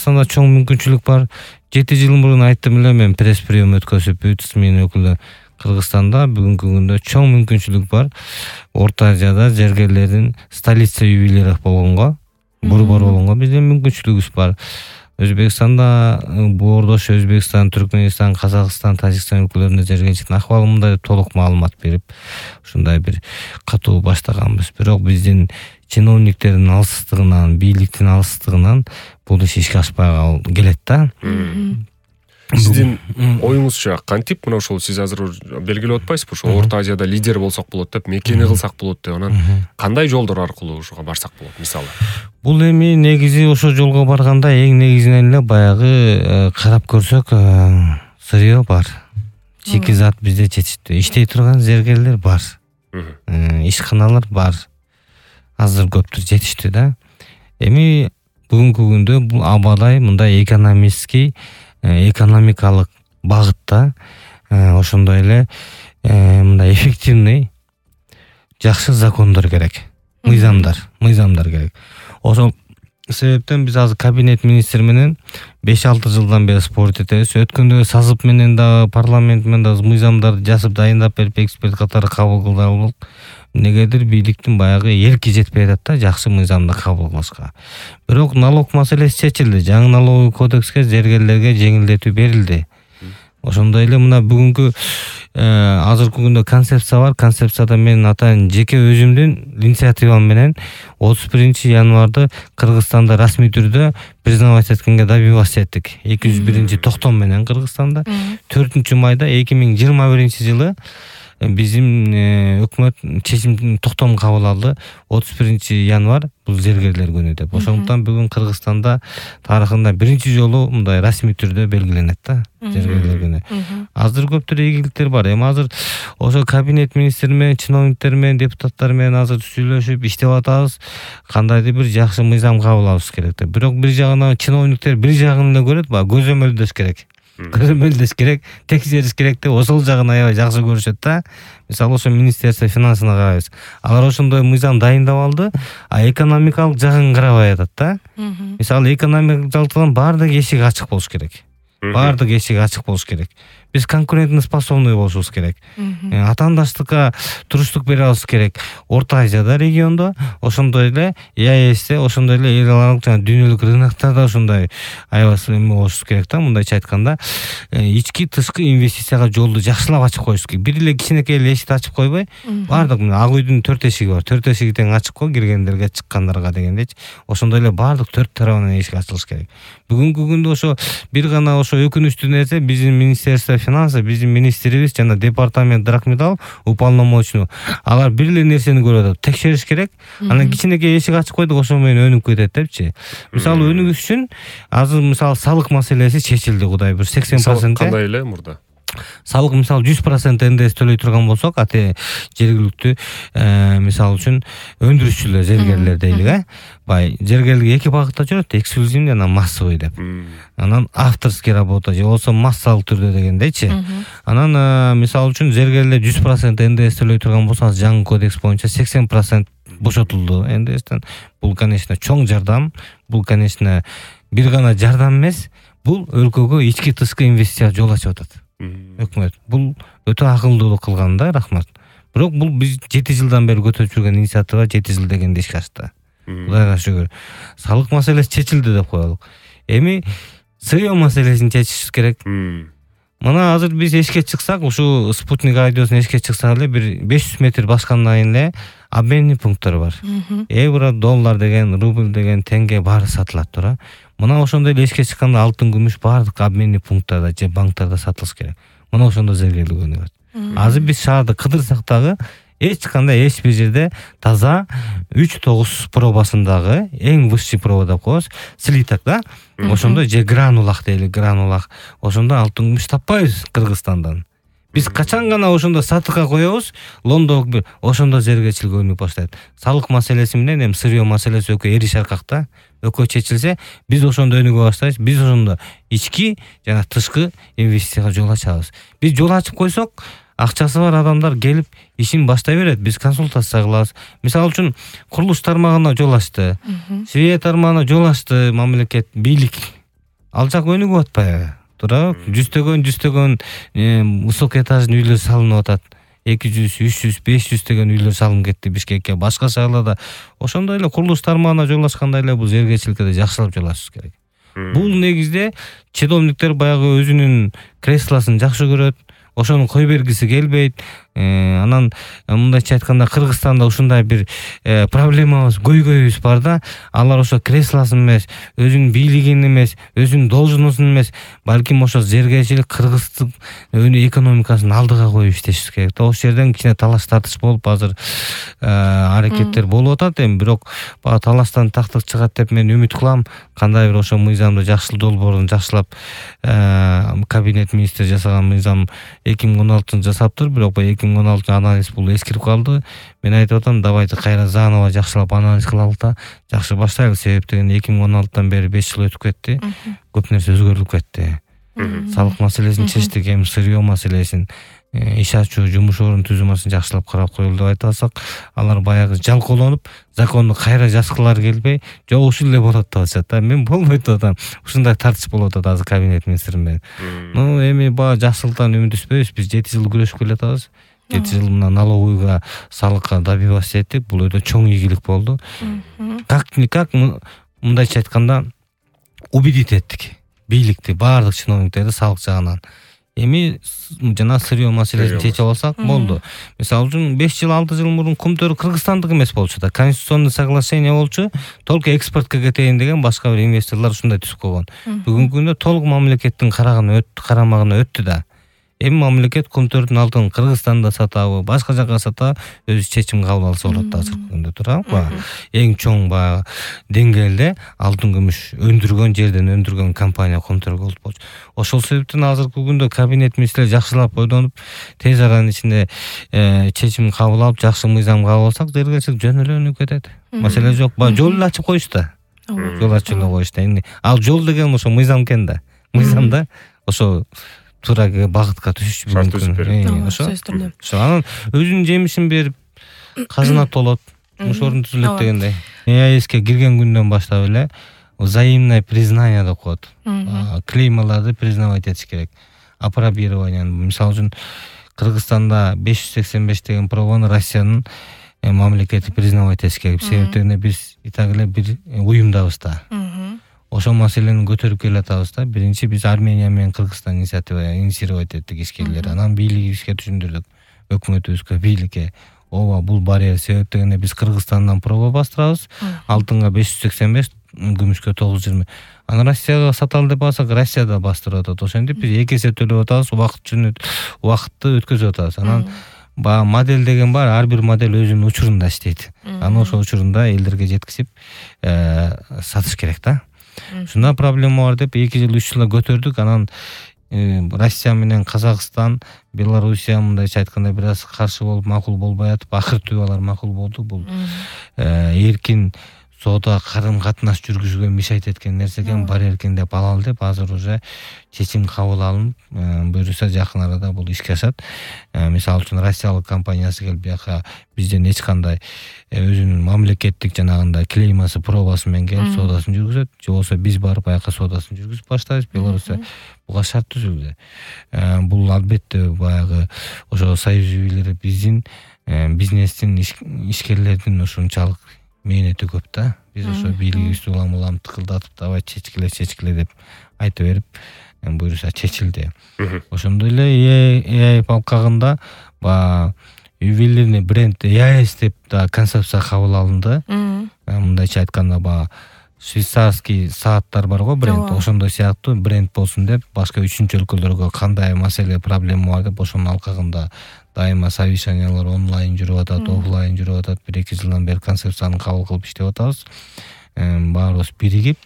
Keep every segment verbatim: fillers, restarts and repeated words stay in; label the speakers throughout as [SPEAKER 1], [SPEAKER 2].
[SPEAKER 1] Кыргызстанда чоң мүмкүнчүлүк бар. жети жыл мурун айттым эле мен пресс-прием өткөзүп, ТСМИнин өкүлү Кыргызстанда бүгүнкү күндө чоң мүмкүнчүлүк бар. Орто Азияда зергерлердин столица юбилейи болгонго, борбор болгонго биздин мүмкүнчүлүгүбүз бар. Өзбекстанда, Боордош, Өзбекстан, Түркмөнстан, Казакстан, Тажикстан өлкөлөрүндө зергерчиликтин акыбалы мындай толук маалымат берип, ушундай бир катуу баштаганбыз. Бирок биздин чиновниктердин алсыздыгынан, бийликтин алсыздыгынан бул иш ишке ашпай келет да.
[SPEAKER 2] Сиздин оюңузча кантип мына ошол сиз азыр белгилеп атпайсызбы? Ошо Орто Азияда лидер болсок болот деп, мекени кылсак болот деп, анан кандай жолдор аркылуу ошого барсак болот мисалы?
[SPEAKER 1] Бул эми негизи ошол жолго барганда эң негизинен эле баягы карап көрсөк, сырьё бар. Шикизат бизде жетиштүү. Иштей турган зергерлер бар. Ишканалар бар. Азыр көптүр жетиштүү да. Эми бүгүнкү күндө бул абадай мындай экономический, экономикалык багытта ошондой эле мындай эффективный жакшы закондор керек. Мыйзамдар, мыйзамдар керек. Ошол себептен биз азыр кабинет министри менен беш алты жылдан бери спорт этебиз. Өткөндө сазып менен дагы парламент менен дагы мыйзамдарды жазып дайындап берип эксперт катары кабыл кылдык. Негедир бийликтин баягы эрки жетпей атат да жакшы мыйзамды кабыл кылышка. Бирок налог маселеси чечилди. Жаңы налоговый кодекске зергерлерге жеңилдетүү берилди. Ошондой эле мына бүгүнкү азыркы күндө концепция бар. Концепцияда мен атайын жеке өзүмдүн инициативам менен отуз биринчи январда Кыргызстанда расмий түрдө признавать эткенге добиваться эттик. эки жүз биринчи токтом менен Кыргызстанда төртүнчү майда эки миң жыйырма биринчи жылы биздин өкмөт чечим токтом кабыл алды. отуз биринчи январ бул зергерлер күнү деп. Ошондуктан бүгүн Кыргызстанда тарыхында биринчи жолу мындай расмий түрдө белгиленет да зергерлер күнү. Азыр көптөр ийгиликтер бар. Эми азыр ошо кабинет министри менен, чиновниктер менен, депутаттар менен азыр сүйлөшүп иштеп атабыз. Кандайдыр бир жакшы мыйзам кабыл алыш керек деп. Бирок бир жагынан чиновниктер бир жагын эле көрөт, баягы көзөмөлдөш керек. Көзөмөлдөш керек, текшериш керек деп ошол жагын аябай жакшы көрүшөт да. Мисалы ошо министерство финансына карайбыз. Алар ошондой мыйзам дайындап алды, а экономикалык жагын карабай атат да. Мисалы экономикалык жактан баардык эшик ачык болуш керек. Баардык эшик ачык болуш керек. Биз конкурентно способный болушубуз керек. Атаандаштыкка туруштук бере алышыбыз керек. Орто Азияда региондо, ошондой эле ЕАЭСте, ошондой эле эл аралык жана дүйнөлүк рыноктарда ошондой аябай эме болушубуз керек да. Мындайча айтканда, ички тышкы инвестицияга жолду жакшылап ачып коюш керек. Бир эле кичинекей эле эшикти ачып койбой, баардык Ак үйдүн төрт эшиги бар. төрт эшиги тең ачык кой, киргендерге, чыккандарга дегендечи. Ошондой эле баардык төрт тарабынан эшик ачылыш керек. Бүгүнкү күндө ошо бир гана ошо өкүнүчтүү нерсе биздин министерство финансы, биздин министрибиз жана департамент Драгмедал уполномоченный алар бир эле нерсени көрүп атат. Текшериш керек. Анан кичинекей эшик ачып койдук, ошо менен өнүп кетет депчи. Мисалы өнүгүш үчүн азыр мисалы салык маселеси чечилди, Кудай бир сексен процент.
[SPEAKER 2] Кандай эле мурда?
[SPEAKER 1] Салык мисалы жүз процент эн дэ эс төлөй турган болсок, ате жергиликтүү мисалы үчүн өндүрүшчүлөр, зергерлер дейлик, э? Бай зергерлик эки багытта жүрөт, эксклюзивный жана массовый деп. Анан авторский работа же болсо массалык түрдө дегендейчи. Анан мисалы үчүн зергерлер жүз процент эн дэ эс төлөй турган болсо, жаңы кодекс боюнча сексен процент бошотулду эн дэ эстен. Бул конечно чоң жардам, бул конечно бир гана жардам эмес, бул өлкөгө ички тышкы инвестиция жол ачып атат. Өкмөт бул өтө акылдуулук кылган да, рахмат. Бирок бул биз жети жылдан бери көтөрүп жүргөн инициатива жети жыл дегенде ишке ашты. Кудайга шүгүр. Салык маселеси чечилди деп коелук. Эми сырьё маселесин чечиш керек. Мына азыр биз эшикке чыксак, ушу спутник радиосун эшикке чыксак эле бир беш жүз метр баскандан кийин эле обменный пункттар бар. Евро, доллар деген, рубль деген, тенге баары сатылат тура. Мына ошондой эле эшикке чыкканда алтын, күмүш баардык обменный пункттарда же банктарда сатылыш керек. Мына ошондо зергерлик өнүгөт. Азыр биз шаарды кыдырсак дагы эч кандай эч бир жерде таза үч тогуз пробасындагы эң высший проба деп коебуз, слиток да. Ошондо же гранулак дейли, гранулак. Ошондо алтын, күмүш таппайбыз Кыргызстандан. Биз качан гана ошондо сатыкка коебуз, лондок бир ошондо зергерчилик өнүгүп баштайт. Салык маселеси менен эми сырьё маселеси өкө эриш аркакта, өкө чечилсе, биз ошондо өнүгүп баштайбыз. Биз ошондо ички жана тышкы инвестицияга жол ачабыз. Биз жол ачып койсок, акчасы бар адамдар келип ишин баштай берет. Биз консультация кылабыз. Мисалы үчүн курулуш тармагына жол ачты, свет тармагына жол ачты мамлекет, бийлик. ал жак өнүгүп атпайбы туурабы? Жүздөгөн жүздөгөн высокоэтажный үйлөр салынып атат. эки жүз, үч жүз, беш жүз деген үйлөр салынып кетти Бишкекке, башка шаарларда. Ошондой эле курулуш тармагына жолашкандай эле бул жергечиликти да жакшылап жолашыш керек. Бул негизде чиновниктер баягы өзүнүн креслосын жакшы көрөт, ошону кой бергиси келбейт. Анан мындайча айтканда Кыргызстанда ушундай бир проблемабыз, көйгөйүбүз бар да. Алар ошо креслосын эмес, өзүнүн бийлигин эмес, өзүнүн должностун эмес, балким ошо жергечилик кыргыздык экономикасын алдыга коюп иштеши керек. Ошол жерден кичине талаш тартыш болуп азыр аракеттер болуп атат. Эми бирок бага талаштан тактык чыгат деп мен үмүт кылам. Кандай бир ошо мыйзамды жакшылоо долбоорун жакшылап кабинет министри жасаган мыйзам эки миң он алтынчы жасаптыр, бирок эки миң он алтынчы анализ бул эскирип калды. Мен айтып атам, давайте кайра заново жакшылап анализ кылалык да, жакшы баштайлы. Себеп деген эки миң он алтыдан бери беш жыл өтүп кетти. Көп нерсе өзгөрүп кетти. Салык маселесин чечтик, эми сырьё маселесин, иш ачуу, жумуш орун түзүмөсүн жакшылап карап коюлду деп айта алсак, алар баягы жалкоолонуп, законду кайра жазгылары келбей, жок ушул эле болот деп атышат да. Мен болбойт деп атам. Ушундай тартыш болуп атат азыр кабинет министри менен. Ну, эми баа жакшылыктан үмүт үзбөйбүз. Биз жети жыл күрөшүп келатабыз. жети жыл мына налоговыйга, салыкка добиваться эттик. Бул өтө чоң ийгилик болду. Как-никак мындайча айтканда убедить эттик бийликти, баардык чиновниктерди салык жагынан. Эми жана сырьё маселесин чечип алсак болду. Мисалы үчүн беш жыл, алты жыл мурун кумтөр Кыргызстандык эмес болчу да. Конституционный соглашение болчу, толук экспортко кетейин деген башка бир инвесторлор ушундай түзүп койгон. Бүгүнкү күндө толук мамлекеттин карагына өттү, карамагына өттү да. Эми мамлекет кумтөрдүн алтын Кыргызстанда сатабы, башка жака сатабы, өзү чечим кабыл алса болот да азыркы күндө туурабы? Эң чоң баягы деңгээлде алтын күмүш өндүргөн, жерден өндүргөн компания кумтөр болчу. Ошол себептен азыркы күндө кабинет министри жакшылап ойдонуп, тез аранын ичинде чечим кабыл алып, жакшы мыйзам кабыл алсак, жергечилик жөн эле өнүгүп кетет. Маселе жок. Жол эле ачып коюшту да. Жол ачып эле коюшту. Ал жол деген ошо мыйзам экен да. Мыйзамда ошо туура багытка түшүш мүмкүн. Ошо. Ошо анан өзүнүн жемишин берип, казына толот, жумуш орун түзүлөт дегендей. ЭАЭСке кирген күндөн баштап эле взаимное признание деп коет. Клеймаларды признавать этиш керек. Апробирование. Мисалы үчүн Кыргызстанда беш жүз сексен беш деген пробаны Россиянын мамлекети признавать этиш керек. Себептен биз и так эле бир уюмдабыз да. Ошол маселени көтөрүп келатабыз да. Биринчи биз Армения менен Кыргызстан инициатива инициировать эттик ишкерлер. Анан бийлигибизге түшүндүрдүк. Өкмөтүбүзгө, бийликке. Ооба, бул барьер. Себеп дегенде биз Кыргызстандан проба бастырабыз. Алтынга беш жүз сексен беш, күмүшкө тогуз жүз жыйырма. Анан Россияга саталы деп алсак, Россияда бастырып атат. Ошентип биз эки эсе төлөп атабыз, убакытчы убакытты өткөзүп атабыз. Анан ба модель деген бар, ар бир модель өзүнүн учурунда иштейт. Анан ошол учурунда элдерге жеткизип сатыш керек да. Шундай проблема бар деп эки жыл, үч жылда көтөрдүк. Анан Россия менен Казакстан, Белоруссия мындайча айтканда бир аз каршы болуп, макул болбой атып, акыртуу алар макул болду. Бул эркин соода карым катнаш жүргүзүүгө мешайт эткен нерсе экен, бар эркин деп алалы деп азыр уже чечим кабыл алынып, буюрса жакын арада бул ишке ашат. Мисалы үчүн Россиялык компаниясы келип бияка бизден эч кандай өзүнүн мамлекеттик жанагындай клеймасы, пробасы менен келип соодасын жүргүзөт. Же болбосо биз барып бияка соодасын жүргүзүп баштайбыз. Белоруссия буга шарт түзүлдү. Бул албетте баягы ошо союз үйлөрү биздин бизнестин, ишкерлердин ушунчалык мээнети көп да. Биз ошо бийлигибизди улам-улам тыкылдатып, давай чечкиле, чечкиле деп айта берип, буюрса чечилди. Ошондой эле ЭАЭП алкагында ба ювелирный бренд ЭАЭС деп да концепция кабыл алынды. Мындайча айтканда ба швейцарский сааттар бар го, бренд, ошондой сыяктуу бренд болсун деп, башка үчүнчү өлкөлөргө кандай маселе, проблема бар деп ошонун алкагында дайыма совещаниялар онлайн жүрүп атат, офлайн жүрүп атат. бир эки жылдан бери концепцияны кабыл кылып иштеп атабыз. Баарыбыз биригип,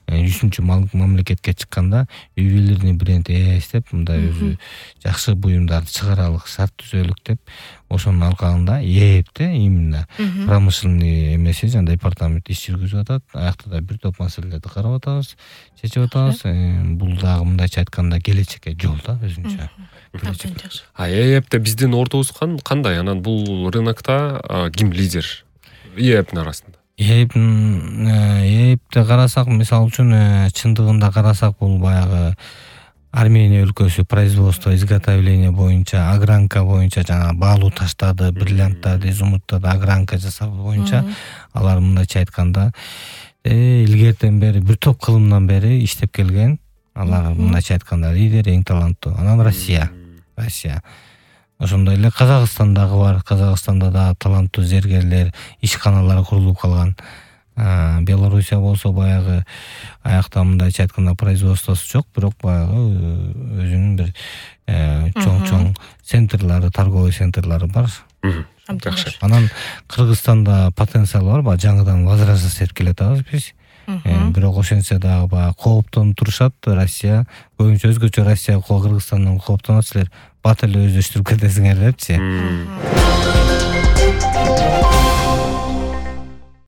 [SPEAKER 1] үчүнчү мамлекетке чыкканда ювелирный бренд ЭАЭС деп мындай өзү жакшы буюмдарды чыгаралык, шарт түзөлүк деп ошонун алкагында ЭАЭПте именно промышленный эмеси жана департамент иш жүргүзүп атат. Аякта да бир топ маселелерди карап атабыз, чечип атабыз. Бул дагы мындайча айтканда келечекке жол да өзүнчө.
[SPEAKER 2] А ЭАЭПте биздин ордубуз кандай? Анан бул рынокто ким лидер? ЭАЭПтин арасында.
[SPEAKER 1] эпте карасак, мисалы үчүн чындыгында карасак, бул баягы Армения өлкөсү производство изготовление боюнча, огранка боюнча, жана баалуу таштарды, бриллианттарды, изумруттарды огранка жасоо боюнча алар мындайча айтканда илгертен бери бир топ кылымдан бери иштеп келген. Алар мындайча айтканда лидер, эң таланттуу. Анан Россия. Россия. Ошондой эле Казакстандагы бар. Казакстанда да таланттуу зергерлер, ишканалар курулуп калган. Белоруссия болсо баягы аякта мындайча айтканда производствосу жок, бирок баягы өзүнүн бир чоң-чоң центрлары, торговый центрлары бар.
[SPEAKER 2] Жакшы.
[SPEAKER 1] Анан Кыргызстанда потенциал бар, баягы жаңыдан возрождать этип келатабыз биз. Бирок ошентсе дагы баягы кооптонуп турушат. Россия көбүнчө өзгөчө Россия, Кыргызстандан кооптонот, силер бат эле өздөштүрүп кетесиңер депчи.